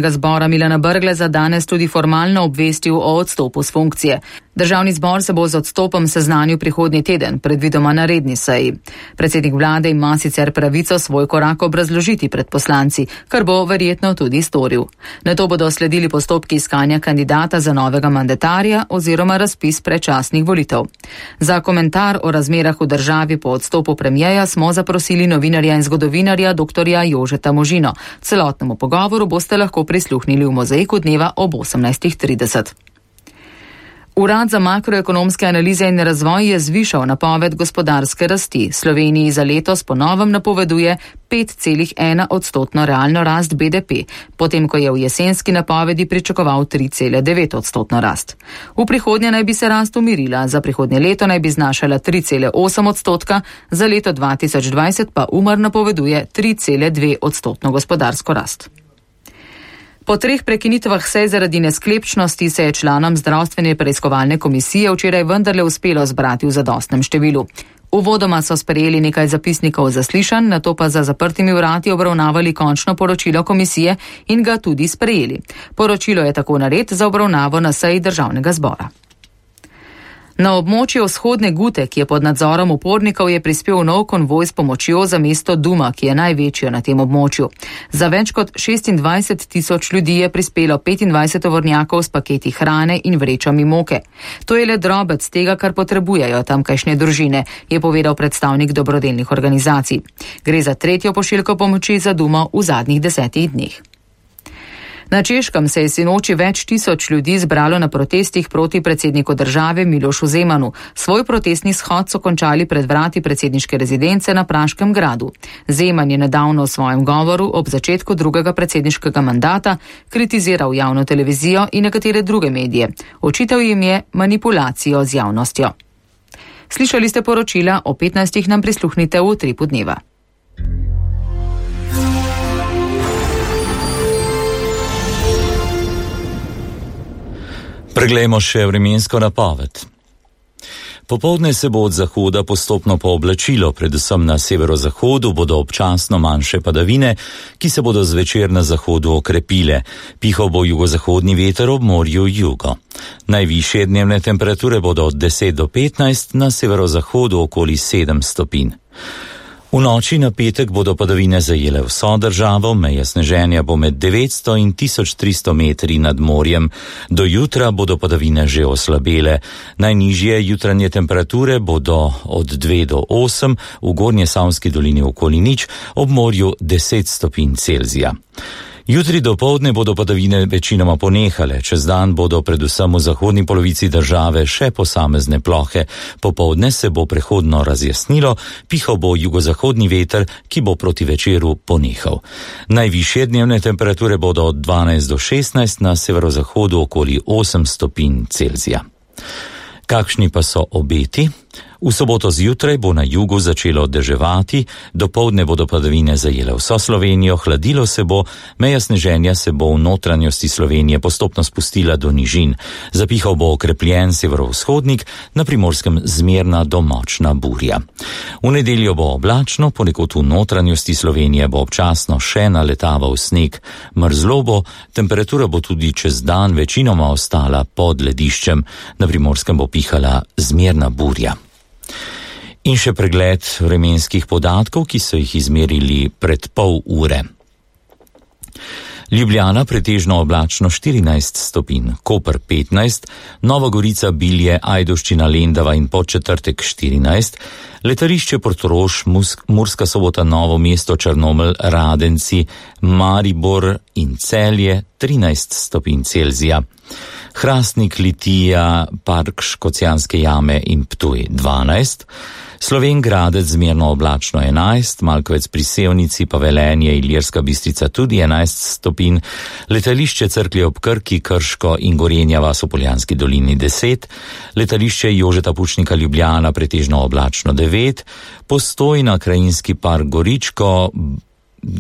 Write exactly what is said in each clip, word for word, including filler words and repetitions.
Zbora Milana Brgleza danes tudi formalno obvestil o odstopu s funkcije. Državni zbor se bo z odstopom seznanil prihodnji teden, predvidoma na redni seji. Predsednik vlade ima sicer pravico svoj korak obrazložiti pred poslanci, kar bo verjetno tudi storil. Nato bodo sledili postopki iskanja kandidata za novega mandatarja oziroma razpis predčasnih volitev. Za komentar o razmerah v državi po odstopu premijeja smo zaprosili novinarja in zgodovinarja doktorja Jožeta Možino. Celotnemu pogovoru boste lahko prisluhnili v Mozaiku dneva ob osemnajstih trideset. Urad za makroekonomske analize in razvoj je zvišal napoved gospodarske rasti. Sloveniji za letos po novem napoveduje pet celih ena odstotno realno rast B D P, potem ko je v jesenski napovedi pričakoval tri cele devet odstotno rast. V prihodnje naj bi se rast umirila, za prihodnje leto naj bi znašala tri cele osem odstotka, za leto dva tisoč dvajset pa Umar napoveduje tri cele dve odstotno gospodarsko rast. Po treh prekinitvah sej zaradi nesklepčnosti se je članom zdravstvene preiskovalne komisije včeraj vendarle uspelo zbrati v zadostnem številu. Uvodoma so sprejeli nekaj zapisnikov zaslišanj, nato pa za zaprtimi vrati obravnavali končno poročilo komisije in ga tudi sprejeli. Poročilo je tako nared za obravnavo na seji državnega zbora. Na območju vzhodne Gute, ki je pod nadzorom upornikov, je prispel nov konvoj s pomočjo za mesto Duma, ki je največjo na tem območju. Za več kot šestindvajset tisoč ljudi je prispelo petindvajset tovornjakov s paketi hrane in vrečami moke. To je le drobec tega, kar potrebujejo tamkajšnje družine, je povedal predstavnik dobrodelnih organizacij. Gre za tretjo pošiljko pomoči za Dumo v zadnjih desetih dneh. Na Češkem se je sinoči več tisoč ljudi zbralo na protestih proti predsedniku države Milošu Zemanu. Svoj protestni shod so končali pred vrati predsedniške rezidence na Praškem gradu. Zeman je nedavno v svojem govoru ob začetku drugega predsedniškega mandata kritiziral javno televizijo in nekatere druge medije. Očital jim je manipulacijo z javnostjo. Slišali ste poročila, o petnajstih nam prisluhnite v Utripu dneva. Preglejmo še vremensko napoved. Popoldne se bo od zahoda postopno pooblačilo, predvsem na severozahodu bodo občasno manjše padavine, ki se bodo zvečer na zahodu okrepile. Pihal bo jugozahodni veter ob morju jugo. Najvišje dnevne temperature bodo od deset do petnajst, na severozahodu okoli sedem stopinj. V noči na petek bodo padavine zajele vso državo, meja sneženja bo med devetsto in tisoč tristo metri nad morjem. Do jutra bodo padavine že oslabele. Najnižje jutranje temperature bodo od dve do osem, v Gornjesavski dolini okoli nič, ob morju deset stopinj Celzija. Jutri dopoldne bodo padavine večinoma ponehale, čez dan bodo predvsem v zahodni polovici države še posamezne plohe. Popoldne se bo prehodno razjasnilo, pihal bo jugozahodni veter, ki bo proti večeru ponehal. Najvišje dnevne temperature bodo od dvanajst do šestnajst, na severozahodu okoli osem stopinj Celzija. Kakšni pa so obeti? V soboto zjutraj bo na jugu začelo deževati, dopoldne bodo padavine zajele vso Slovenijo, hladilo se bo, meja sneženja se bo v notranjosti Slovenije postopno spustila do nižin. Zapihal bo okrepljen severovzhodnik, na Primorskem zmerna do močna burja. V nedeljo bo oblačno, ponekod v notranjosti Slovenije bo občasno še naletaval sneg. Mrzlo bo, temperatura bo tudi čez dan večinoma ostala pod lediščem, na Primorskem bo pihala zmerna burja. In še pregled vremenskih podatkov, ki so jih izmerili pred pol ure. Ljubljana pretežno oblačno štirinajst stopinj, Koper petnajst, Nova Gorica, Bilje, Ajdovščina, Lendava in Podčetrtek štirinajst, letališče Portorož, Murska Sobota, Novo mesto, Črnomelj, Radenci, Maribor in Celje trinajst stopinj Celzija. Hrastnik, Litija, Park Škocjanske jame in Ptuj dvanajst, Slovenj Gradec zmerno oblačno enajst, Malkovec pri Sevnici pa Velenje, Ilirska Bistrica tudi enajst stopinj, letališče Cerklje ob Krki, Krško in Gorenja vas v Poljanski dolini deset, letališče Jožeta Pučnika Ljubljana pretežno oblačno devet, Postojna, Krajinski park Goričko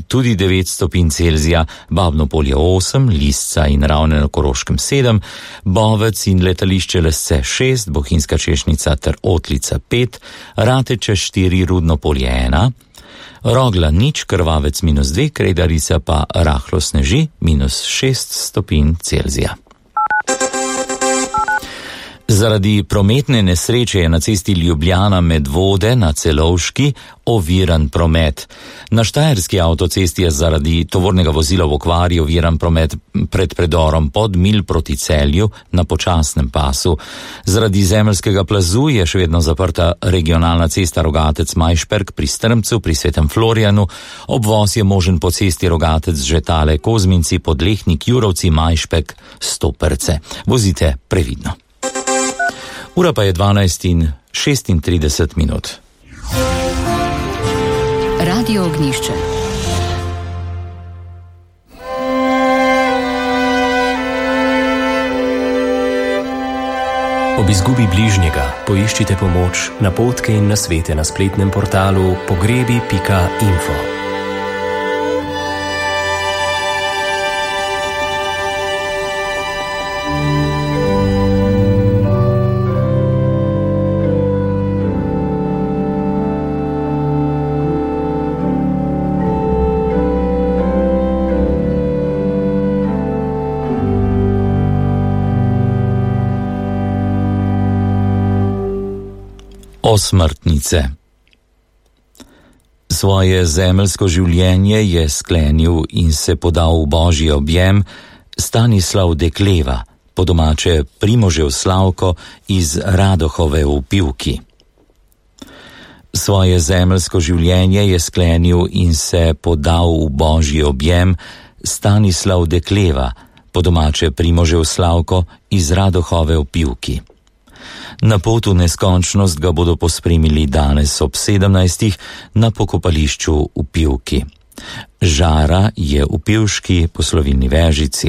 tudi devet stopinj Celzija, Babno Polje osem, Lisca in Ravne na Koroškem sedem, Bovec in letališče Lesce šest, Bohinjska Češnica ter Otlica pet, Rateče štiri, Rudno Polje ena, Rogla nič, Krvavec minus dve, Kredarica pa rahlo sneži, minus šest stopinj Celzija. Zaradi prometne nesreče je na cesti Ljubljana Medvode na Celovški oviran promet. Na štajerski avtocesti je zaradi tovornega vozila v okvari oviran promet pred predorom Podmilj proti Celju na počasnem pasu. Zaradi zemeljskega plazu je še vedno zaprta regionalna cesta Rogatec-Majšperk pri Strmcu pri Svetem Florijanu. Obvoz je možen po cesti Rogatec-Žetale Kozminci, Podlehnik, Jurovci, Majšpek, Stoperce. Vozite previdno. Ura pa je dvanajst in šestintrideset minut. Radio Ognjišče. Ob izgubi bližnjega poiščite pomoč, napotke in nasvete na spletnem portalu pogrebi pika info. Osmrtnice. Svoje zemeljsko življenje je sklenil in se podal v božji objem Stanislav Dekleva, po domače Primožev Slavko iz Radohove v Pivki. Svoje zemeljsko življenje je sklenil in se podal v božji objem Stanislav Dekleva, po domače Primožev Slavko iz Radohove v Pivki. Na pot v neskončnost ga bodo pospremili danes ob sedemnajstih na pokopališču v Pivki. Žara je v pivški poslovilni vežici.